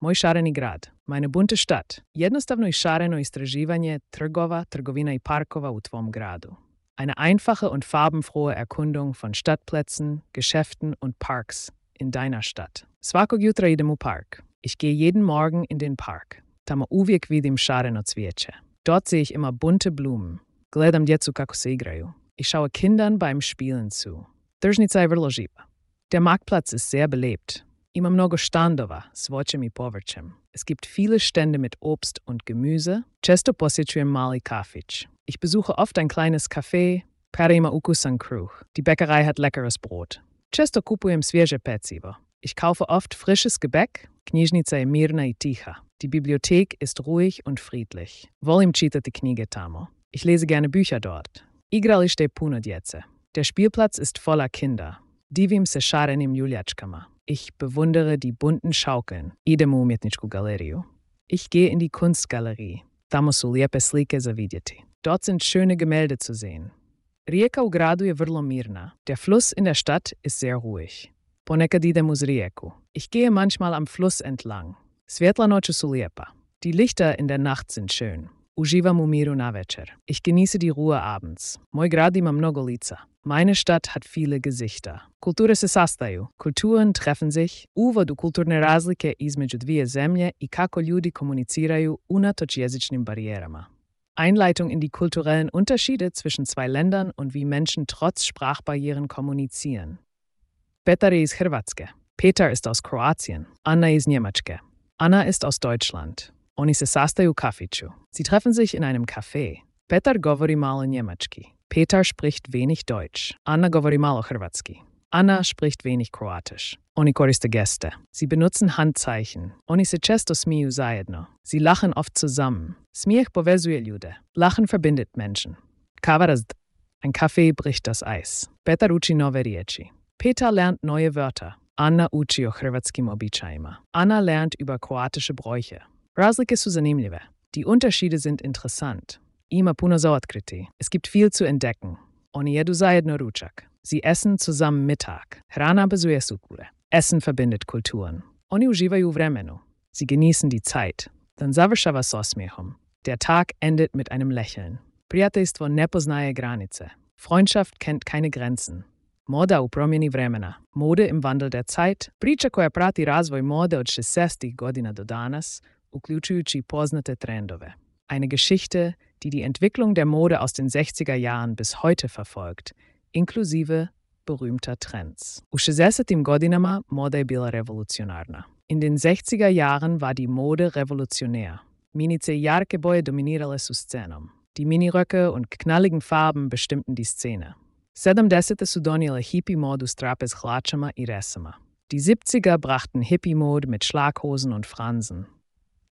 Moj šareni grad, meine bunte Stadt. Jednostavno i šareno istraživanje trgova, trgovina i parkova u tvom gradu. Eine einfache und farbenfrohe Erkundung von Stadtplätzen, Geschäften und Parks in deiner Stadt. Svakog jutra idem u park. Ich gehe jeden Morgen in den Park. Tamo uvijek vidim šareno cvijeće. Dort sehe ich immer bunte Blumen. Gledam djecu kako se igraju. Ich schaue Kindern beim Spielen zu. Tržnica je vrlo živa. Der Marktplatz ist sehr belebt. Ima mnogo štandova s voćem i povrćem. Es gibt viele Stände mit Obst und Gemüse. Često posjećujem mali kafić. Ich besuche oft ein kleines Café. Pere ima ukusan kruh. Die Bäckerei hat leckeres Brot. Često kupujem svježe pecivo. Ich kaufe oft frisches Gebäck. Knjižnica je mirna i tiha. Die Bibliothek ist ruhig und friedlich. Volim čitati knjige tamo. Ich lese gerne Bücher dort. Igralište je puno djece. Der Spielplatz ist voller Kinder. Divim se šarenim ljuljačkama. Ich bewundere die bunten Schaukeln. Idem u umjetničku galeriju. Ich gehe in die Kunstgalerie. Tamo su lijepe slike za vidjeti. Dort sind schöne Gemälde zu sehen. Rijeka u gradu je vrlo mirna. Der Fluss in der Stadt ist sehr ruhig. Ponekad idem uz rijeku. Ich gehe manchmal am Fluss entlang. Svjetla noću su lijepa. Die Lichter in der Nacht sind schön. Uživam u miru navečer. Ich genieße die Ruhe abends. Moj grad ima mnogo lica. Meine Stadt hat viele Gesichter. Kulture se sastaju. Kulturen treffen sich. Uvodu kulturne razlike između dvije zemlje i kako ljudi komuniciraju unatoč jezičnim barijerama. Einleitung in die kulturellen Unterschiede zwischen zwei Ländern und wie Menschen trotz Sprachbarrieren kommunizieren. Petar je iz Hrvatske. Petar ist aus Kroatien. Anna iz Njemačke. Anna ist aus Deutschland. Oni se sastaju u kafiću. Sie treffen sich in einem Café. Petar govori malo njemački. Petar spricht wenig Deutsch. Anna govori malo hrvatski. Anna spricht wenig Kroatisch. Oni koriste geste. Sie benutzen Handzeichen. Oni se često smiju zajedno. Sie lachen oft zusammen. Smijeh povezuje ljude. Lachen verbindet Menschen. Kava Ein Kaffee bricht das Eis. Petar uči nove riječi. Petar lernt neue Wörter. Anna uči o hrvatskim običajima. Anna lernt über kroatische Bräuche. Razlike su zanimljive. Die Unterschiede sind interessant. Ima puno za otkriti. Es gibt viel zu entdecken. Oni jedu zajedno ručak. Sie essen zusammen Mittag. Hrana bezuje sukule. Essen verbindet Kulturen. Oni uživaju u vremenu. Sie genießen die Zeit. Dann završava s osmijehom. Der Tag endet mit einem Lächeln. Prijateljstvo ne poznaje granice. Freundschaft kennt keine Grenzen. Moda u promjeni vremena. Mode im Wandel der Zeit. Priča koja prati razvoj mode od 60-ih godina do danas, uključujući poznate trendove. Eine Geschichte, die die Entwicklung der Mode aus den 60er Jahren bis heute verfolgt, inklusive berühmter Trends. U 60. godinama moda je bila revolucionarna. In den 60er Jahren war die Mode revolutionär. Minice i jarke boje dominirale su scenom. Die Miniröcke und knalligen Farben bestimmten die Szene. 70. su donijele hippie modu s trapez hlačama i resama. Die 70er brachten Hippie-Mode mit Schlaghosen und Fransen.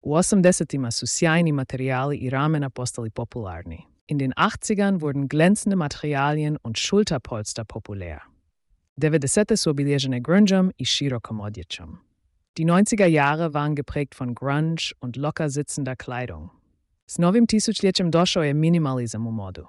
U 80. su sjajni materijali i ramena postali popularni. In den 80ern wurden glänzende Materialien und Schulterpolster populär. 90. su obilježene grungeom i širokom odjećom. Die 90er Jahre waren geprägt von Grunge und locker sitzender Kleidung. S novim tisućljećem došao je minimalizam u modu.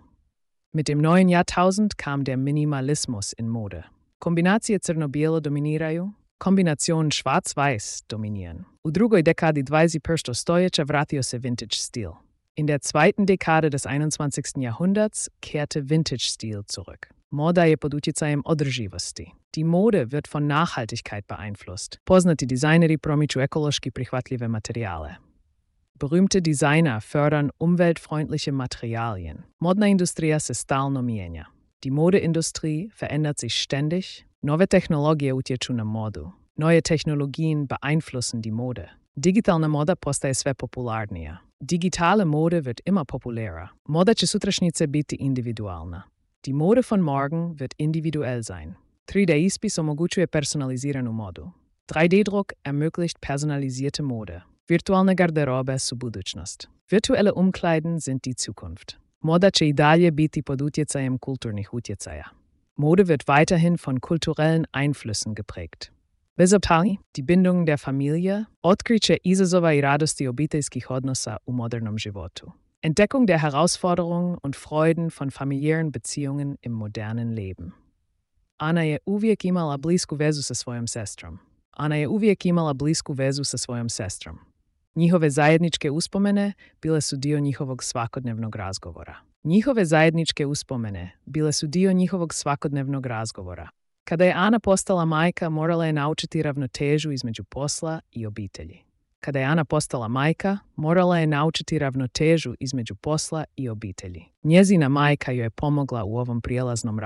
Mit dem neuen Jahrtausend kam der Minimalismus in Mode. Kombinacije crno-bijelo dominiraju, kombinationen schwarz-weiß dominieren. U drugoj dekadi 21. stoljeća vratio se vintage stil. In der zweiten Dekade des 21. Jahrhunderts kehrte Vintage-Stil zurück. Moda je pod utjecajem održivosti. Die Mode wird von Nachhaltigkeit beeinflusst. Poznati dizajneri promiču ekološki prihvatljive materijale. Berühmte Designer fördern umweltfreundliche Materialien. Modna industrija se stalno mijenja. Die Modeindustrie verändert sich ständig. Nove tehnologije utječu na modu. Neue Technologien beeinflussen die Mode. Digitalna moda postaje sve popularnija. Digitale Mode wird immer populärer. Moda će sutrašnjice biti individualna. Die Mode von morgen wird individuell sein. 3D-ispis omogućuje personaliziranu modu. 3D-Druck ermöglicht personalisierte Mode. Virtualne garderobe su budućnost. Virtuelle Umkleiden sind die Zukunft. Moda će i dalje biti pod utjecajem kulturnih utjecaja. Mode wird weiterhin von kulturellen Einflüssen geprägt. Bezobtali, die Bindung der Familie, otkriće izazova i radosti obiteljskih odnosa u modernom životu. Entdeckung der Herausforderungen und Freuden von familiären Beziehungen im modernen Leben. Ana je uvijek imala blisku vezu sa svojom sestrom. Ana je uvijek imala blisku vezu sa svojom sestrom. Njihove zajedničke uspomene bile su dio njihovog svakodnevnog razgovora. Kada je Ana postala majka, morala je naučiti ravnotežu između posla i obitelji. Njezina majka joj je pomogla u ovom prijelaznom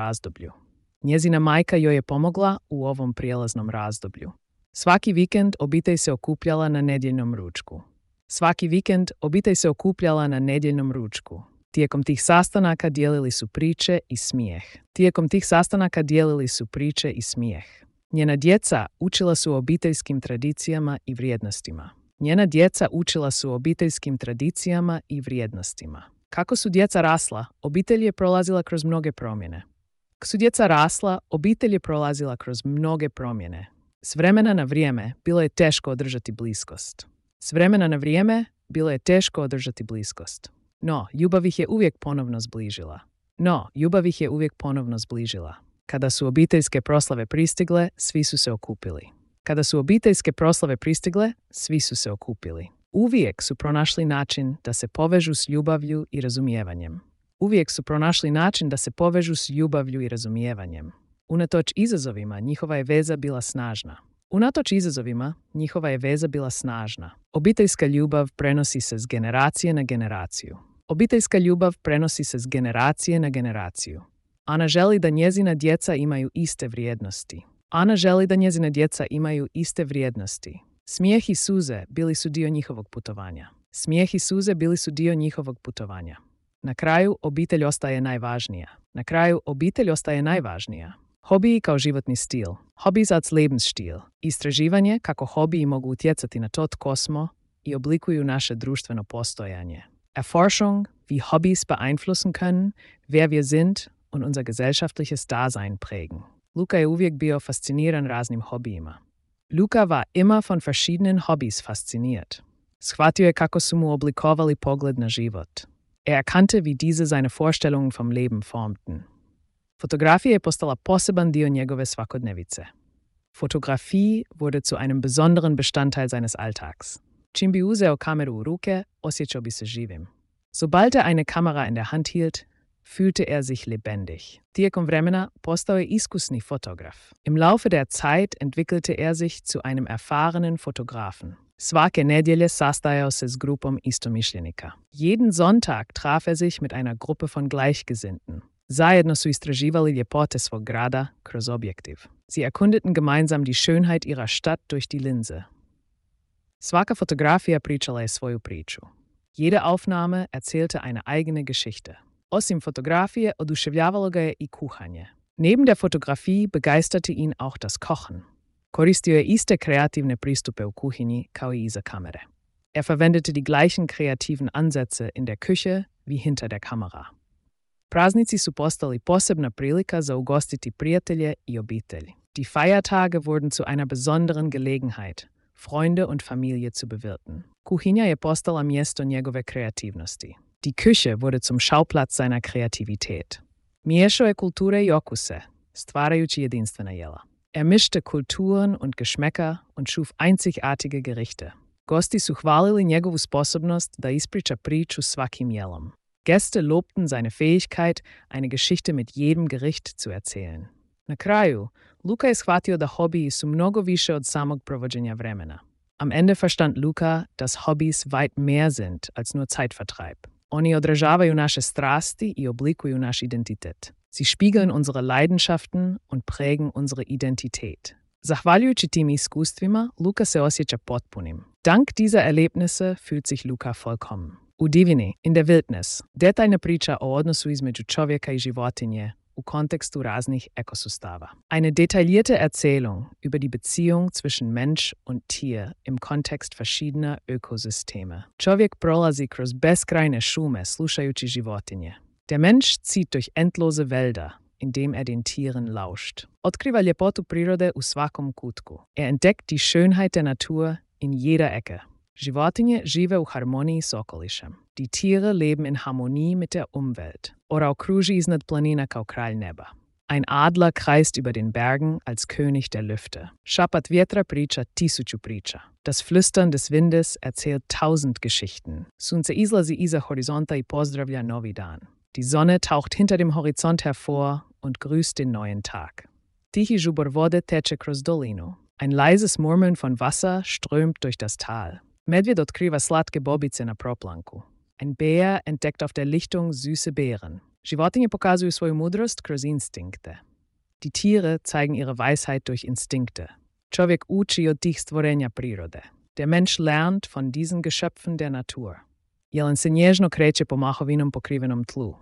razdoblju. Svaki vikend obitelj se okupljala na nedjeljnom ručku. Tijekom tih sastanaka dijelili su priče i smijeh. Njena djeca učila su o obiteljskim tradicijama i vrijednostima. Kako su djeca rasla, obitelj je prolazila kroz mnoge promjene. S vremena na vrijeme bilo je teško održati bliskost. No, ljubav ih je uvijek ponovno zbližila. Kada su obiteljske proslave pristigle, svi su se okupili. Uvijek su pronašli način da se povežu s ljubavlju i razumijevanjem. Unatoč izazovima, njihova je veza bila snažna. Obiteljska ljubav prenosi se s generacije na generaciju. Ana želi da njezina djeca imaju iste vrijednosti. Smijeh i suze bili su dio njihovog putovanja. Na kraju obitelj ostaje najvažnija. Hobiji kao životni stil. Hobbies als Lebensstil. Istraživanje kako hobiji mogu utjecati na to tko smo i oblikuju naše društveno postojanje. Erforschung, wie Hobbys beeinflussen können, wer wir sind und unser gesellschaftliches Dasein prägen. Luka je uvijek bio fasciniran raznim hobijima. Luka war immer von verschiedenen Hobbys fasziniert. Shvatio je kako su mu oblikovali pogled na život. Erkannte, wie diese seine Vorstellungen vom Leben formten. Fotografija je postala poseban dio njegove svakodnevice. Fotografie wurde zu einem besonderen Bestandteil seines Alltags. Čim bi uzeo kameru u ruke, osjećao bi se živim. Sobald er eine Kamera in der Hand hielt, fühlte er sich lebendig. Tijekom vremena postao je iskusni fotograf. Im Laufe der Zeit entwickelte er sich zu einem erfahrenen Fotografen. Svake nedjelje sastajao se s grupom istomišljenika. Jeden Sonntag traf er sich mit einer Gruppe von Gleichgesinnten. Zajedno su istraživali ljepote svog grada kroz objektiv. Sie erkundeten gemeinsam die Schönheit ihrer Stadt durch die Linse. Svaka fotografija pričala je svoju priču. Jede Aufnahme erzählte eine eigene Geschichte. Osim fotografije, oduševljavalo ga je i kuhanje. Neben der Fotografie begeisterte ihn auch das Kochen. Koristio je iste kreativne pristupe u kuhinji kao i iza kamere. Er verwendete die gleichen kreativen Ansätze in der Küche wie hinter der Kamera. Praznici su postali posebna prilika za ugostiti prijatelje i obitelj. Die Feiertage wurden zu einer besonderen Gelegenheit, Freunde und Familie zu bewirten. Kuhinja je postala mjesto njegove kreativnosti. Die Küche wurde zum Schauplatz seiner Kreativität. Miješao je kulture i okuse, stvarajući jedinstvena jela. Er mischte Kulturen und Geschmäcker und schuf einzigartige Gerichte. Gosti su hvalili njegovu sposobnost da ispriča priču svakim jelom. Gäste lobten seine Fähigkeit, eine Geschichte mit jedem Gericht zu erzählen. Na kraju, Luka je shvatio da hobiji su mnogo više od samog provođenja vremena. Am Ende verstand Luka, dass Hobbys weit mehr sind als nur Zeitvertreib. Oni odražavaju naše strasti i oblikuju naš identitet. Sie spiegeln unsere Leidenschaften und prägen unsere Identität. Zahvaljujući tim iskustvima, Luka se osjeća potpunim. Dank dieser Erlebnisse fühlt sich Luka vollkommen. U divini, in der Wildnis, detaljna priča o odnosu između čovjeka i životinje u kontekstu raznih ekosustava. Eine detaillierte Erzählung über die Beziehung zwischen Mensch und Tier im Kontext verschiedener Ökosysteme. Čovjek prolazi kroz beskrajne šume slušajući životinje. Der Mensch zieht durch endlose Wälder, indem er den Tieren lauscht. Otkriva ljepotu prirode u svakom kutku. Er entdeckt die Schönheit der Natur in jeder Ecke. Životinje žive u harmoniji s okolišem. Die Tiere leben in Harmonie mit der Umwelt. Ora okruži iznad planina kao kralj neba. Ein Adler kreist über den Bergen als König der Lüfte. Šapat vjetra priča tisuću priča. Das Flüstern des Windes erzählt 1000 Geschichten. Sunce izlazi iza horizonta i pozdravlja novi dan. Die Sonne taucht hinter dem Horizont hervor und grüßt den neuen Tag. Tihi žubor vode teče kroz dolinu. Ein leises Murmeln von Wasser strömt durch das Tal. Medvjed otkriva slatke bobice na proplanku. Ein Bär entdeckt auf der Lichtung süße Beeren. Životinje pokazuju svoju mudrost kroz instinkte. Die Tiere zeigen ihre Weisheit durch Instinkte. Čovjek uči od tih stvorenja prirode. Der Mensch lernt von diesen Geschöpfen der Natur. Jelen se nježno kreće po mahovinom pokrivenom tlu.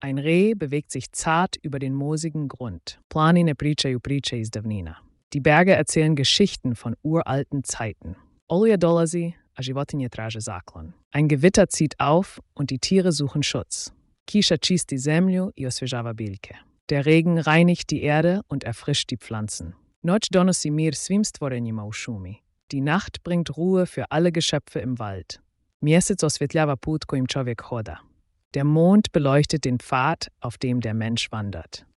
Ein Reh bewegt sich zart über den moosigen Grund. Planine pričaju priče iz davnina. Die Berge erzählen Geschichten von uralten Zeiten. Oluja dolazi, a životinje traže zaklon. Ein Gewitter zieht auf und die Tiere suchen Schutz. Kiša čisti zemlju i osvježava biljke. Der Regen reinigt die Erde und erfrischt die Pflanzen. Noć donosi mir svim stvorenjima u šumi. Die Nacht bringt Ruhe für alle Geschöpfe im Wald. Mjesec osvjetljava put kojim čovjek hoda. Der Mond beleuchtet den Pfad, auf dem der Mensch wandert.